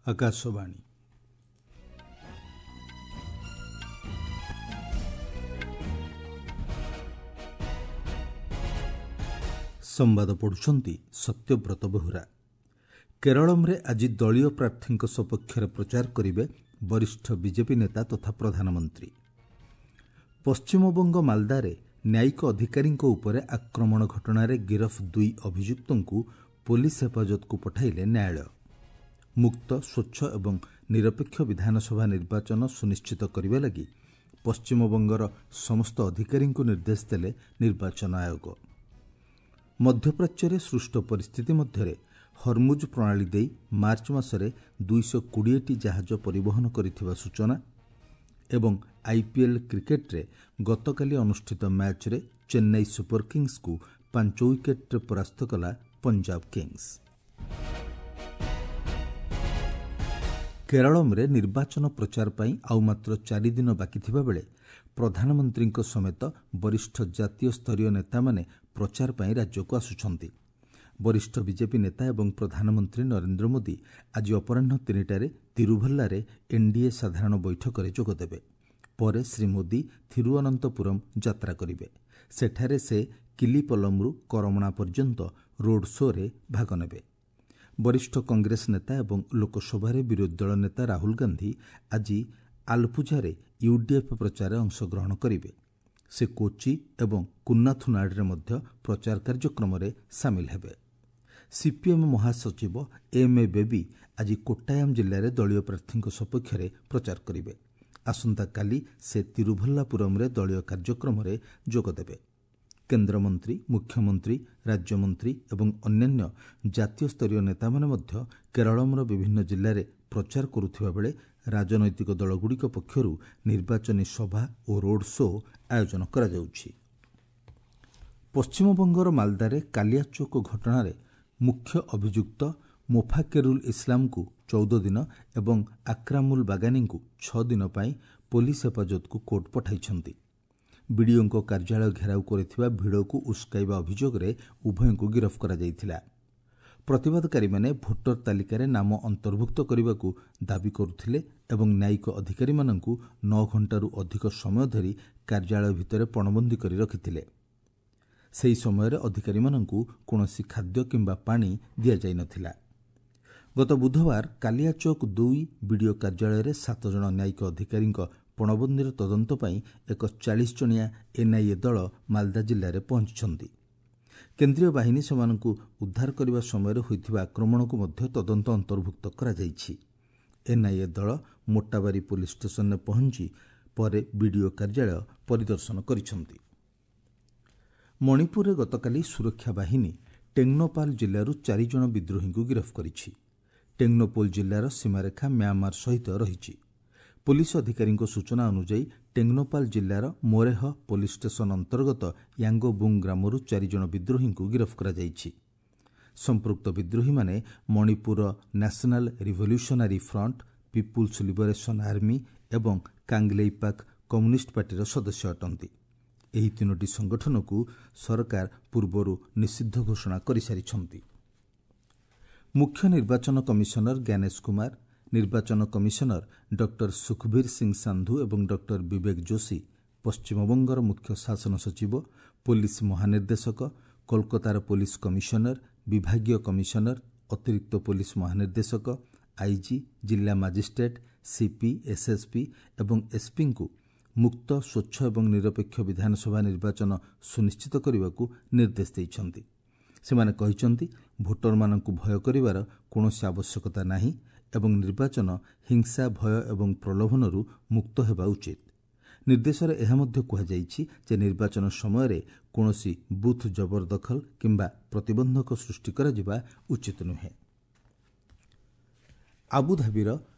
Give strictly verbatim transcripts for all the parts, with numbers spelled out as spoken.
ଆକାଶବାଣୀ। ସମ୍ବାଦ ପଢ଼ୁଛନ୍ତି ସତ୍ୟବ୍ରତ ବେହୁରା। କେରଳମରେ ଆଜି ଦଳୀୟ ପ୍ରାର୍ଥୀଙ୍କ ସପକ୍ଷରେ ପ୍ରଚାର କରିବେ ବରିଷ୍ଠ ବିଜେପି ନେତା ତଥା ପ୍ରଧାନମନ୍ତ୍ରୀ। ପଶ୍ଚିମବଙ୍ଗ ମାଲଦାରେ ନ୍ୟାୟିକ ଅଧିକାରୀଙ୍କ ଉପରେ ଆକ୍ରମଣ ଘଟଣାରେ ଗିରଫ ଦୁଇ ଅଭିଯୁକ୍ତଙ୍କୁ ପୋଲିସ ହେଫାଜତକୁ ପଠାଇଲେ ନ୍ୟାୟାଳୟ। ମୁକ୍ତ, ସ୍ୱଚ୍ଛ ଏବଂ ନିରପେକ୍ଷ ବିଧାନସଭା ନିର୍ବାଚନ ସୁନିଶ୍ଚିତ କରିବା ଲାଗି ପଶ୍ଚିମବଙ୍ଗର ସମସ୍ତ ଅଧିକାରୀଙ୍କୁ ନିର୍ଦ୍ଦେଶ ଦେଲେ ନିର୍ବାଚନ ଆୟୋଗ। ମଧ୍ୟପ୍ରାଚ୍ୟରେ ସୃଷ୍ଟ ପରିସ୍ଥିତି ମଧ୍ୟରେ ହରମୁଜ ପ୍ରଣାଳୀ ଦେଇ ମାର୍ଚ୍ଚ ମାସରେ ଦୁଇଶହ କୋଡ଼ିଏଟି ଜାହାଜ ପରିବହନ କରିଥିବା ସୂଚନା ଏବଂ ଆଇପିଏଲ୍ କ୍ରିକେଟ୍ରେ ଗତକାଲି ଅନୁଷ୍ଠିତ ମ୍ୟାଚ୍ରେ ଚେନ୍ନାଇ ସୁପର କିଙ୍ଗସ୍କୁ ପାଞ୍ଚ ୱିକେଟ୍ରେ ପରାସ୍ତ କଲା ପଞ୍ଜାବ କିଙ୍ଗସ୍। କେରଳମରେ ନିର୍ବାଚନ ପ୍ରଚାର ପାଇଁ ଆଉ ମାତ୍ର ଚାରିଦିନ ବାକି ଥିବାବେଳେ ପ୍ରଧାନମନ୍ତ୍ରୀଙ୍କ ସମେତ ବରିଷ୍ଠ ଜାତୀୟ ସ୍ତରୀୟ ନେତାମାନେ ପ୍ରଚାର ପାଇଁ ରାଜ୍ୟକୁ ଆସୁଛନ୍ତି। ବରିଷ୍ଠ ବିଜେପି ନେତା ଏବଂ ପ୍ରଧାନମନ୍ତ୍ରୀ ନରେନ୍ଦ୍ର ମୋଦି ଆଜି ଅପରାହ୍ନ ତିନିଟାରେ ତିରୁଭଲ୍ଲାରେ ଏନ୍ଡିଏ ସାଧାରଣ ବୈଠକରେ ଯୋଗଦେବେ। ପରେ ଶ୍ରୀ ମୋଦି ଥିରୁଅନନ୍ତପୁରମ୍ ଯାତ୍ରା କରିବେ। ସେଠାରେ ସେ କିଲିପଲମ୍ରୁ କରମଣା ପର୍ଯ୍ୟନ୍ତ ରୋଡ୍ ଶୋ'ରେ ଭାଗ ନେବେ। ବରିଷ୍ଠ କଂଗ୍ରେସ ନେତା ଏବଂ ଲୋକସଭାରେ ବିରୋଧୀ ଦଳ ନେତା ରାହୁଲ ଗାନ୍ଧି ଆଜି ଆଲପୁଝାରେ ୟୁଡିଏଫ୍ ପ୍ରଚାରରେ ଅଂଶଗ୍ରହଣ କରିବେ। ସେ କୋଚି ଏବଂ କୁନ୍ନାଥୁନାଡ୍ରେ ମଧ୍ୟ ପ୍ରଚାର କାର୍ଯ୍ୟକ୍ରମରେ ସାମିଲ ହେବେ। ସିପିଏମ୍ ମହାସଚିବ ଏମ୍ ଏ ବେବି ଆଜି କୋଟ୍ଟାୟାମ୍ ଜିଲ୍ଲାରେ ଦଳୀୟ ପ୍ରାର୍ଥୀଙ୍କ ସପକ୍ଷରେ ପ୍ରଚାର କରିବେ। ଆସନ୍ତାକାଲି ସେ ତିରୁଭଲ୍ଲାପୁରମ୍ରେ ଦଳୀୟ କାର୍ଯ୍ୟକ୍ରମରେ ଯୋଗଦେବେ। କେନ୍ଦ୍ରମନ୍ତ୍ରୀ, ମୁଖ୍ୟମନ୍ତ୍ରୀ, ରାଜ୍ୟମନ୍ତ୍ରୀ ଏବଂ ଅନ୍ୟାନ୍ୟ ଜାତୀୟ ସ୍ତରୀୟ ନେତାମାନେ ମଧ୍ୟ କେରଳମର ବିଭିନ୍ନ ଜିଲ୍ଲାରେ ପ୍ରଚାର କରୁଥିବା ବେଳେ ରାଜନୈତିକ ଦଳଗୁଡ଼ିକ ପକ୍ଷରୁ ନିର୍ବାଚନୀ ସଭା ଓ ରୋଡ୍ ଶୋ ଆୟୋଜନ କରାଯାଉଛି। ପଶ୍ଚିମବଙ୍ଗର ମାଲଦାରେ କାଲିଆଚୋକ ଘଟଣାରେ ମୁଖ୍ୟ ଅଭିଯୁକ୍ତ ମୋଫାକେରୁଲ ଇସଲାମକୁ ଚଉଦ ଦିନ ଏବଂ ଆକ୍ରାମୁଲ ବାଗାନୀଙ୍କୁ ଛଅ ଦିନ ପାଇଁ ପୋଲିସ ହେଫାଜତକୁ କୋର୍ଟ ପଠାଇଛନ୍ତି। ବିଡିଓଙ୍କ କାର୍ଯ୍ୟାଳୟ ଘେରାଉ କରିଥିବା ଭିଡ଼କୁ ଉସ୍କାଇବା ଅଭିଯୋଗରେ ଉଭୟଙ୍କୁ ଗିରଫ କରାଯାଇଥିଲା। ପ୍ରତିବାଦକାରୀମାନେ ଭୋଟର ତାଲିକାରେ ନାମ ଅନ୍ତର୍ଭୁକ୍ତ କରିବାକୁ ଦାବି କରୁଥିଲେ ଏବଂ ନ୍ୟାୟିକ ଅଧିକାରୀମାନଙ୍କୁ ନଅ ଘଣ୍ଟାରୁ ଅଧିକ ସମୟ ଧରି କାର୍ଯ୍ୟାଳୟ ଭିତରେ ପଣବନ୍ଦୀ କରି ରଖିଥିଲେ। ସେହି ସମୟରେ ଅଧିକାରୀମାନଙ୍କୁ କୌଣସି ଖାଦ୍ୟ କିମ୍ବା ପାଣି ଦିଆଯାଇନଥିଲା। ଗତ ବୁଧବାର କାଲିଆଚୋକ ଦୁଇ ବିଡିଓ କାର୍ଯ୍ୟାଳୟରେ ସାତ ଜଣ ନ୍ୟାୟିକ ଅଧିକାରୀଙ୍କ ପଣବନ୍ଦୀର ତଦନ୍ତ ପାଇଁ ଏକ ଚାଳିଶ ଜଣିଆ ଏନ୍ଆଇଏ ଦଳ ମାଲଦା ଜିଲ୍ଲାରେ ପହଞ୍ଚିଛନ୍ତି। କେନ୍ଦ୍ରୀୟ ବାହିନୀ ସେମାନଙ୍କୁ ଉଦ୍ଧାର କରିବା ସମୟରେ ହୋଇଥିବା ଆକ୍ରମଣକୁ ମଧ୍ୟ ତଦନ୍ତ ଅନ୍ତର୍ଭୁକ୍ତ କରାଯାଇଛି। ଏନ୍ଆଇଏ ଦଳ ମୋଟାବାରୀ ପୋଲିସ ଷ୍ଟେସନରେ ପହଞ୍ଚି ପରେ ବିଡିଓ କାର୍ଯ୍ୟାଳୟ ପରିଦର୍ଶନ କରିଛନ୍ତି। ମଣିପୁରରେ ଗତକାଲି ସୁରକ୍ଷା ବାହିନୀ ଟେଙ୍ଗନୋପାଲ ଜିଲ୍ଲାରୁ ଚାରିଜଣ ବିଦ୍ରୋହୀଙ୍କୁ ଗିରଫ କରିଛି। ଟେଙ୍ଗନୋପୋଲ ଜିଲ୍ଲାର ସୀମାରେଖା ମ୍ୟାଁମାର ସହିତ ରହିଛି। ପୋଲିସ ଅଧିକାରୀଙ୍କ ସୂଚନା ଅନୁଯାୟୀ ଟେଙ୍ଗନୋପାଲ ଜିଲ୍ଲାର ମୋରେହ ପୋଲିସ ଷ୍ଟେସନ ଅନ୍ତର୍ଗତ ୟାଙ୍ଗୋବୁଙ୍ଗ ଗ୍ରାମରୁ ଚାରିଜଣ ବିଦ୍ରୋହୀଙ୍କୁ ଗିରଫ କରାଯାଇଛି। ସମ୍ପୃକ୍ତ ବିଦ୍ରୋହୀମାନେ ମଣିପୁରର National Revolutionary Front, People's Liberation Army ଏବଂ କାଙ୍ଗଲେଇପାକ୍ କମ୍ୟୁନିଷ୍ଟ ପାର୍ଟିର ସଦସ୍ୟ ଅଟନ୍ତି। ଏହି ତିନୋଟି ସଂଗଠନକୁ ସରକାର ପୂର୍ବରୁ ନିଷିଦ୍ଧ ଘୋଷଣା କରିସାରିଛନ୍ତି। ମୁଖ୍ୟ ନିର୍ବାଚନ କମିଶନର ଜ୍ଞାନେଶ କୁମାର, ନିର୍ବାଚନ କମିଶନର ଡକ୍ଟର ସୁଖବୀର ସିଂ ସାନ୍ଧୁ ଏବଂ ଡକ୍ଟର ବିବେକ ଯୋଶୀ, ପଶ୍ଚିମବଙ୍ଗର ମୁଖ୍ୟ ଶାସନ ସଚିବ, ପୋଲିସ ମହାନିର୍ଦ୍ଦେଶକ, କୋଲକାତାର ପୋଲିସ କମିଶନର, ବିଭାଗୀୟ କମିଶନର, ଅତିରିକ୍ତ ପୋଲିସ ମହାନିର୍ଦ୍ଦେଶକ, ଆଇଜି, ଜିଲ୍ଲା ମାଜିଷ୍ଟ୍ରେଟ୍, ସିପି, ଏସ୍ଏସ୍ପି ଏବଂ ଏସ୍ପିଙ୍କୁ ମୁକ୍ତ, ସ୍ୱଚ୍ଛ ଏବଂ ନିରପେକ୍ଷ ବିଧାନସଭା ନିର୍ବାଚନ ସୁନିଶ୍ଚିତ କରିବାକୁ ନିର୍ଦ୍ଦେଶ ଦେଇଛନ୍ତି। ସେମାନେ କହିଛନ୍ତି, ଭୋଟରମାନଙ୍କୁ ଭୟ କରିବାର କୌଣସି ଆବଶ୍ୟକତା ନାହିଁ ଏବଂ ନିର୍ବାଚନ ହିଂସା, ଭୟ ଏବଂ ପ୍ରଲୋଭନରୁ ମୁକ୍ତ ହେବା ଉଚିତ। ନିର୍ଦ୍ଦେଶରେ ଏହା ମଧ୍ୟ କୁହାଯାଇଛି ଯେ ନିର୍ବାଚନ ସମୟରେ କୌଣସି ବୁଥ୍ ଜବରଦଖଲ କିମ୍ବା ପ୍ରତିବନ୍ଧକ ସୃଷ୍ଟି କରାଯିବା ଉଚିତ ନୁହେଁ। ଆବୁଧାବିର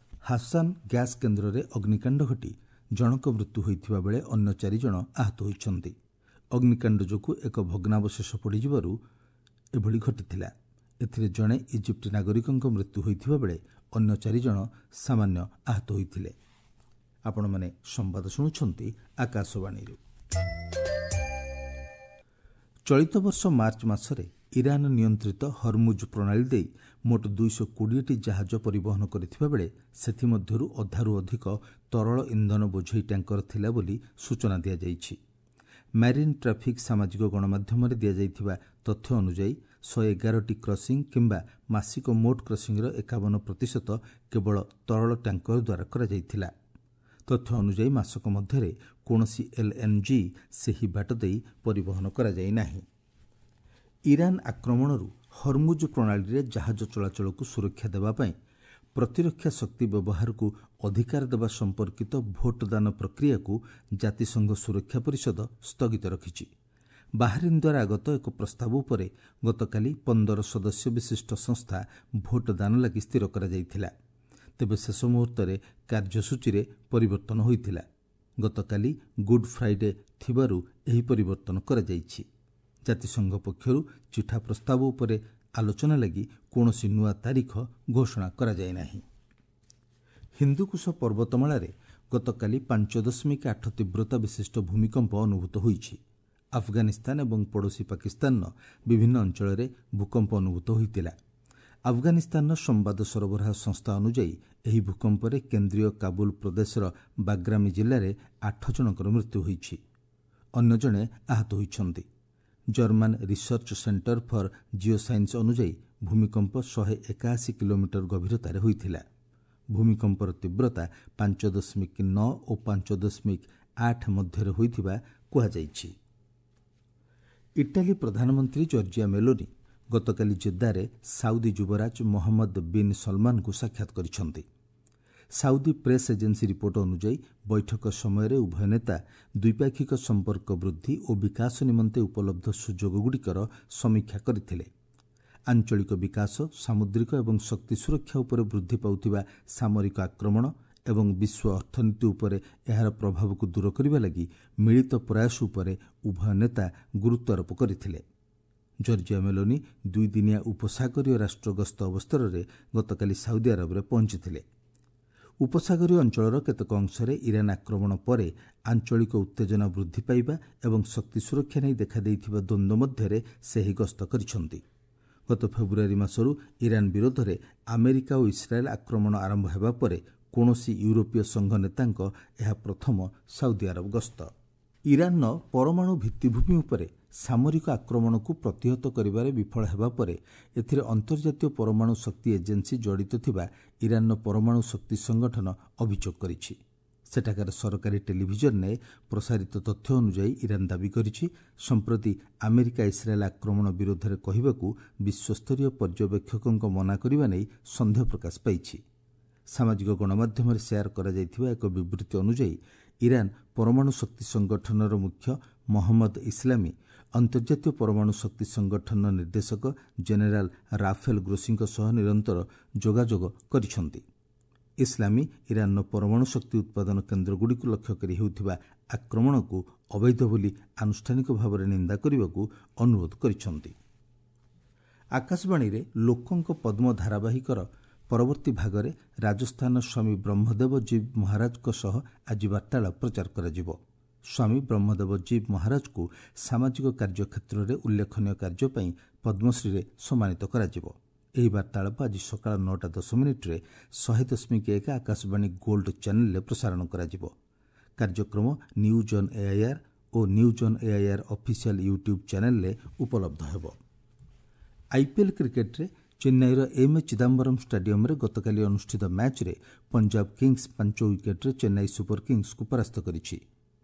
ହାସାନ ଗ୍ୟାସ୍ କେନ୍ଦ୍ରରେ ଅଗ୍ନିକାଣ୍ଡ ଘଟି ଜଣଙ୍କ ମୃତ୍ୟୁ ହୋଇଥିବା ବେଳେ ଅନ୍ୟ ଚାରିଜଣ ଆହତ ହୋଇଛନ୍ତି। ଅଗ୍ନିକାଣ୍ଡ ଯୋଗୁଁ ଏକ ଭଗ୍ନାବଶେଷ ପଡ଼ିଯିବାରୁ ଏଭଳି ଘଟିଥିଲା। ଏଥିରେ ଜଣେ ଇଜିପ୍ଟ ନାଗରିକଙ୍କ ମୃତ୍ୟୁ ହୋଇଥିବା ବେଳେ ଅନ୍ୟ ଚାରିଜଣ ସାମାନ୍ୟ ଆହତ ହୋଇଥିଲେ। ଆପଣମାନେ ସମ୍ବାଦ ଶୁଣୁଛନ୍ତି ଆକାଶବାଣୀରୁ। ଚଳିତ ବର୍ଷ ମାର୍ଚ୍ଚ ମାସରେ ଇରାନ ନିୟନ୍ତ୍ରିତ ହରମୁଜ ପ୍ରଣାଳୀ ଦେଇ ମୋଟ ଦୁଇଶହ କୋଡ଼ିଏଟି ଜାହାଜ ପରିବହନ କରିଥିବା ବେଳେ ସେଥିମଧ୍ୟରୁ ଅଧାରୁ ଅଧିକ ତରଳ ଇନ୍ଧନ ବୋଝେଇ ଟ୍ୟାଙ୍କର ଥିଲା ବୋଲି ସୂଚନା ଦିଆଯାଇଛି। ମ୍ୟାରିନ୍ ଟ୍ରାଫିକ୍ ସାମାଜିକ ଗଣମାଧ୍ୟମରେ ଦିଆଯାଇଥିବା ତଥ୍ୟ ଅନୁଯାୟୀ ଶହେ ଏଗାରଟି କ୍ରସିଂ କିମ୍ବା ମାସିକ ମୋଟ କ୍ରସିଂର ଏକାବନ ପ୍ରତିଶତ କେବଳ ତରଳ ଟ୍ୟାଙ୍କର ଦ୍ୱାରା କରାଯାଇଥିଲା। ତଥ୍ୟ ଅନୁଯାୟୀ ମାସକ ମଧ୍ୟରେ କୌଣସି ଏଲ୍ଏନ୍ଜି ସେହି ବାଟ ଦେଇ ପରିବହନ କରାଯାଇ ନାହିଁ। ଇରାନ ଆକ୍ରମଣରୁ ହରମୁଜ ପ୍ରଣାଳୀରେ ଜାହାଜ ଚଳାଚଳକୁ ସୁରକ୍ଷା ଦେବା ପାଇଁ ପ୍ରତିରକ୍ଷା ଶକ୍ତି ବ୍ୟବହାରକୁ ଅଧିକାର ଦେବା ସମ୍ପର୍କିତ ଭୋଟଦାନ ପ୍ରକ୍ରିୟାକୁ ଜାତିସଂଘ ସୁରକ୍ଷା ପରିଷଦ ସ୍ଥଗିତ ରଖିଛି। ବାହାରିନ୍ ଦ୍ୱାରା ଆଗତ ଏକ ପ୍ରସ୍ତାବ ଉପରେ ଗତକାଲି ପନ୍ଦର ସଦସ୍ୟ ବିଶିଷ୍ଟ ସଂସ୍ଥା ଭୋଟଦାନ ଲାଗି ସ୍ଥିର କରାଯାଇଥିଲା। ତେବେ ଶେଷ ମୁହୂର୍ତ୍ତରେ କାର୍ଯ୍ୟସୂଚୀରେ ପରିବର୍ତ୍ତନ ହୋଇଥିଲା। ଗତକାଲି ଗୁଡ୍ ଫ୍ରାଇଡେ ଥିବାରୁ ଏହି ପରିବର୍ତ୍ତନ କରାଯାଇଛି। ଜାତିସଂଘ ପକ୍ଷରୁ ଚିଠା ପ୍ରସ୍ତାବ ଉପରେ ଆଲୋଚନା ଲାଗି କୌଣସି ନୂଆ ତାରିଖ ଘୋଷଣା କରାଯାଇ ନାହିଁ। ହିନ୍ଦୁକୁଶ ପର୍ବତମାଳାରେ ଗତକାଲି ପାଞ୍ଚ ଦଶମିକ ଆଠ ତୀବ୍ରତା ବିଶିଷ୍ଟ ଭୂମିକମ୍ପ ଅନୁଭୂତ ହୋଇଛି। ଆଫଗାନିସ୍ତାନ ଏବଂ ପଡ଼ୋଶୀ ପାକିସ୍ତାନର ବିଭିନ୍ନ ଅଞ୍ଚଳରେ ଭୂକମ୍ପ ଅନୁଭୂତ ହୋଇଥିଲା। ଆଫଗାନିସ୍ତାନର ସମ୍ବାଦ ସରବରାହ ସଂସ୍ଥା ଅନୁଯାୟୀ ଏହି ଭୂକମ୍ପରେ କେନ୍ଦ୍ରୀୟ କାବୁଲ ପ୍ରଦେଶର ବାଗ୍ରାମୀ ଜିଲ୍ଲାରେ ଆଠ ଜଣଙ୍କର ମୃତ୍ୟୁ ହୋଇଛି, ଅନ୍ୟ ଜଣେ ଆହତ ହୋଇଛନ୍ତି। German research centre for geoscience ଅନୁଯାୟୀ ଭୂମିକମ୍ପ ଶହେ ଏକାଅଶୀ କିଲୋମିଟର ଗଭୀରତାରେ ହୋଇଥିଲା। ଭୂମିକମ୍ପର ତୀବ୍ରତା ପାଞ୍ଚ ଦଶମିକ ନଅ ଓ ପାଞ୍ଚ ଦଶମିକ ଆଠ ମଧ୍ୟରେ ହୋଇଥିବା କୁହାଯାଇଛି। ଇଟାଲୀ ପ୍ରଧାନମନ୍ତ୍ରୀ ଜର୍ଜିଆ ମେଲୋନି ଗତକାଲି ଜେଦ୍ଦାରେ ସାଉଦି ଯୁବରାଜ ମହମ୍ମଦ ବିନ୍ ସଲମାନଙ୍କୁ ସାକ୍ଷାତ କରିଛନ୍ତି। ସାଉଦି ପ୍ରେସ୍ ଏଜେନ୍ସି ରିପୋର୍ଟ ଅନୁଯାୟୀ ବୈଠକ ସମୟରେ ଉଭୟ ନେତା ଦ୍ୱିପାକ୍ଷିକ ସମ୍ପର୍କ ବୃଦ୍ଧି ଓ ବିକାଶ ନିମନ୍ତେ ଉପଲବ୍ଧ ସୁଯୋଗଗୁଡ଼ିକର ସମୀକ୍ଷା କରିଥିଲେ। ଆଞ୍ଚଳିକ ବିକାଶ, ସାମୁଦ୍ରିକ ଏବଂ ଶକ୍ତି ସୁରକ୍ଷା ଉପରେ ବୃଦ୍ଧି ପାଉଥିବା ସାମରିକ ଆକ୍ରମଣ ଏବଂ ବିଶ୍ୱ ଅର୍ଥନୀତି ଉପରେ ଏହାର ପ୍ରଭାବକୁ ଦୂର କରିବା ଲାଗି ମିଳିତ ପ୍ରୟାସ ଉପରେ ଉଭୟ ନେତା ଗୁରୁତ୍ୱାରୋପ କରିଥିଲେ। ଜର୍ଜିଆ ମେଲୋନି ଦୁଇଦିନିଆ ଉପସାଗରୀୟ ରାଷ୍ଟ୍ର ଗସ୍ତ ଅବସରରେ ଗତକାଲି ସାଉଦି ଆରବରେ ପହଞ୍ଚିଥିଲେ। ଉପସାଗରୀୟ ଅଞ୍ଚଳର କେତେକ ଅଂଶରେ ଇରାନ ଆକ୍ରମଣ ପରେ ଆଞ୍ଚଳିକ ଉତ୍ତେଜନା ବୃଦ୍ଧି ପାଇବା ଏବଂ ଶକ୍ତି ସୁରକ୍ଷା ନେଇ ଦେଖାଦେଇଥିବା ଦ୍ୱନ୍ଦ୍ୱ ମଧ୍ୟରେ ସେ ଏହି ଗସ୍ତ କରିଛନ୍ତି। ଗତ ଫେବୃଆରୀ ମାସରୁ ଇରାନ ବିରୋଧରେ ଆମେରିକା ଓ ଇସ୍ରାଏଲ୍ ଆକ୍ରମଣ ଆରମ୍ଭ ହେବା ପରେ କୌଣସି ୟୁରୋପୀୟ ସଂଘ ନେତାଙ୍କ ଏହା ପ୍ରଥମ ସାଉଦି ଆରବ ଗସ୍ତ। ଇରାନର ପରମାଣୁ ଭିତ୍ତିଭୂମି ଉପରେ ସାମରିକ ଆକ୍ରମଣକୁ ପ୍ରତିହତ କରିବାରେ ବିଫଳ ହେବା ପରେ ଏଥିରେ ଅନ୍ତର୍ଜାତୀୟ ପରମାଣୁ ଶକ୍ତି ଏଜେନ୍ସି ଜଡ଼ିତ ଥିବା ଇରାନର ପରମାଣୁ ଶକ୍ତି ସଂଗଠନ ଅଭିଯୋଗ କରିଛି। ସେଠାକାର ସରକାରୀ ଟେଲିଭିଜନରେ ପ୍ରସାରିତ ତଥ୍ୟ ଅନୁଯାୟୀ ଇରାନ ଦାବି କରିଛି, ସମ୍ପ୍ରତି ଆମେରିକା ଇସ୍ରାଏଲ୍ ଆକ୍ରମଣ ବିରୋଧରେ କହିବାକୁ ବିଶ୍ୱସ୍ତରୀୟ ପର୍ଯ୍ୟବେକ୍ଷକଙ୍କ ମନା କରିବା ନେଇ ସନ୍ଦେହ ପ୍ରକାଶ ପାଇଛି। ସାମାଜିକ ଗଣମାଧ୍ୟମରେ ସେୟାର କରାଯାଇଥିବା ଏକ ବିବୃତ୍ତି ଅନୁଯାୟୀ ଇରାନ ପରମାଣୁ ଶକ୍ତି ସଂଗଠନର ମୁଖ୍ୟ ମହମ୍ମଦ ଇସ୍ଲାମୀ ଅନ୍ତର୍ଜାତୀୟ ପରମାଣୁ ଶକ୍ତି ସଂଗଠନର ନିର୍ଦ୍ଦେଶକ ଜେନେରାଲ ରାଫେଲ ଗ୍ରୋସିଙ୍କ ସହ ନିରନ୍ତର ଯୋଗାଯୋଗ କରିଛନ୍ତି। ଇସ୍ଲାମୀ ଇରାନର ପରମାଣୁ ଶକ୍ତି ଉତ୍ପାଦନ କେନ୍ଦ୍ରଗୁଡ଼ିକୁ ଲକ୍ଷ୍ୟ କରି ହେଉଥିବା ଆକ୍ରମଣକୁ ଅବୈଧ ବୋଲି ଆନୁଷ୍ଠାନିକ ଭାବରେ ନିନ୍ଦା କରିବାକୁ ଅନୁରୋଧ କରିଛନ୍ତି। ଆକାଶବାଣୀରେ ଲୋକଙ୍କ ପଦ୍ମ ଧାରାବାହିକର ପରବର୍ତ୍ତୀ ଭାଗରେ ରାଜସ୍ଥାନ ସ୍ୱାମୀ ବ୍ରହ୍ମଦେବ ଜୀବ ମହାରାଜଙ୍କ ସହ ଆଜି ବାର୍ତ୍ତାଳାପ ପ୍ରଚାର କରାଯିବ। ସ୍ୱାମୀ ବ୍ରହ୍ମଦେବ ଜୀବ ମହାରାଜଙ୍କୁ ସାମାଜିକ କାର୍ଯ୍ୟକ୍ଷେତ୍ରରେ ଉଲ୍ଲେଖନୀୟ କାର୍ଯ୍ୟ ପାଇଁ ପଦ୍ମଶ୍ରୀରେ ସମ୍ମାନିତ କରାଯିବ। ଏହି ବାର୍ତ୍ତାଳାପ ଆଜି ସକାଳ ନଅଟା ଦଶ ମିନିଟ୍ରେ ଶହେ ଦଶମିକ ଏକ ଆକାଶବାଣୀ ଗୋଲ୍ଡ ଚ୍ୟାନେଲରେ ପ୍ରସାରଣ କରାଯିବ। କାର୍ଯ୍ୟକ୍ରମ news on AIR O news on AIR official YouTube ଚ୍ୟାନେଲରେ ଉପଲବ୍ଧ ହେବ। ଆଇପିଏଲ୍ କ୍ରିକେଟ୍ରେ ଚେନ୍ନାଇର ଏମ୍ ଏ ଚିଦାମ୍ବରମ୍ ଷ୍ଟାଡିୟମ୍ରେ ଗତକାଲି ଅନୁଷ୍ଠିତ ମ୍ୟାଚ୍ରେ ପଞ୍ଜାବ କିଙ୍ଗସ୍ ପାଞ୍ଚ ୱିକେଟ୍ରେ ଚେନ୍ନାଇ ସୁପର କିଙ୍ଗସ୍କୁ ପରାସ୍ତ କରିଛି।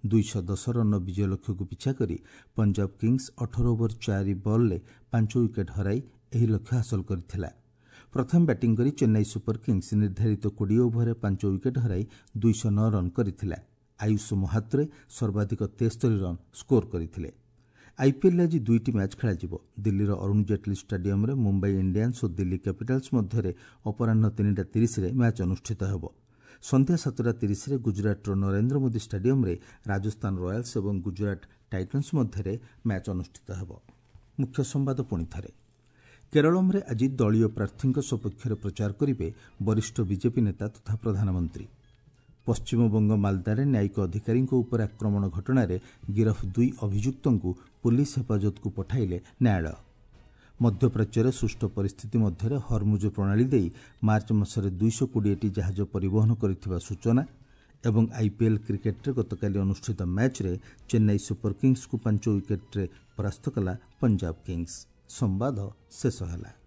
ଦୁଇଶହ ଦଶ ରନ୍ର ବିଜୟ ଲକ୍ଷ୍ୟକୁ ପିଛା କରି ପଞ୍ଜାବ କିଙ୍ଗସ୍ ଅଠର ଓଭର ଚାରି ବଲ୍ରେ ପାଞ୍ଚ ୱିକେଟ୍ ହରାଇ ଏହି ଲକ୍ଷ୍ୟ ହାସଲ କରିଥିଲା। ପ୍ରଥମେ ବ୍ୟାଟିଂ କରି ଚେନ୍ନାଇ ସୁପର କିଙ୍ଗସ୍ ନିର୍ଦ୍ଧାରିତ କୋଡ଼ିଏ ଓଭରରେ ପାଞ୍ଚ ୱିକେଟ୍ ହରାଇ ଦୁଇଶହ ନଅ ରନ୍ କରିଥିଲା। ଆୟୁଷ ମହାତ୍ରେ ସର୍ବାଧିକ ତେସ୍ତରୀ ରନ୍ ସ୍କୋର କରିଥିଲେ। ଆଇପିଏଲ୍ରେ ଆଜି ଦୁଇଟି ମ୍ୟାଚ୍ ଖେଳାଯିବ। ଦିଲ୍ଲୀର ଅରୁଣ ଜେଟ୍ଲୀ ଷ୍ଟାଡିୟମ୍ରେ ମୁମ୍ବାଇ ଇଣ୍ଡିଆନ୍ସ ଓ ଦିଲ୍ଲୀ କ୍ୟାପିଟାଲ୍ସ ମଧ୍ୟରେ ଅପରାହ୍ନ ତିନିଟା ତିରିଶରେ ମ୍ୟାଚ୍ ଅନୁଷ୍ଠିତ ହେବ। ସନ୍ଧ୍ୟା ସାତଟା ତିରିଶରେ ଗୁଜରାଟର ନରେନ୍ଦ୍ର ମୋଦି ଷ୍ଟାଡିୟମ୍ରେ ରାଜସ୍ଥାନ ରୟାଲ୍ସ ଏବଂ ଗୁଜରାଟ ଟାଇଟନ୍ସ ମଧ୍ୟରେ ମ୍ୟାଚ୍ ଅନୁଷ୍ଠିତ ହେବ। ମୁଖ୍ୟ ସମ୍ବାଦ ପୁଣି ଥରେ। କେରଳମରେ ଆଜି ଦଳୀୟ ପ୍ରାର୍ଥୀଙ୍କ ସପକ୍ଷରେ ପ୍ରଚାର କରିବେ ବରିଷ୍ଠ ବିଜେପି ନେତା ତଥା ପ୍ରଧାନମନ୍ତ୍ରୀ। ପଶ୍ଚିମବଙ୍ଗ ମାଲଦାରେ ନ୍ୟାୟିକ ଅଧିକାରୀଙ୍କ ଉପରେ ଆକ୍ରମଣ ଘଟଣାରେ ଗିରଫ ଦୁଇ ଅଭିଯୁକ୍ତଙ୍କୁ ପୁଲିସ ହେଫାଜତକୁ ପଠାଇଲେ ନ୍ୟାୟାଳୟ। ମଧ୍ୟପ୍ରାଚ୍ୟରେ ସୃଷ୍ଟ ପରିସ୍ଥିତି ମଧ୍ୟରେ ହରମୁଜ ପ୍ରଣାଳୀ ଦେଇ ମାର୍ଚ୍ଚ ମାସରେ ଦୁଇଶହ କୋଡ଼ିଏଟି ଜାହାଜ ପରିବହନ କରିଥିବା ସୂଚନା ଏବଂ ଆଇପିଏଲ୍ କ୍ରିକେଟ୍ରେ ଗତକାଲି ଅନୁଷ୍ଠିତ ମ୍ୟାଚ୍ରେ ଚେନ୍ନାଇ ସୁପର କିଙ୍ଗସ୍କୁ ପାଞ୍ଚ ୱିକେଟ୍ରେ ପରାସ୍ତ କଲା ପଞ୍ଜାବ କିଙ୍ଗସ୍। ସମ୍ବାଦ ଶେଷ ହେଲା।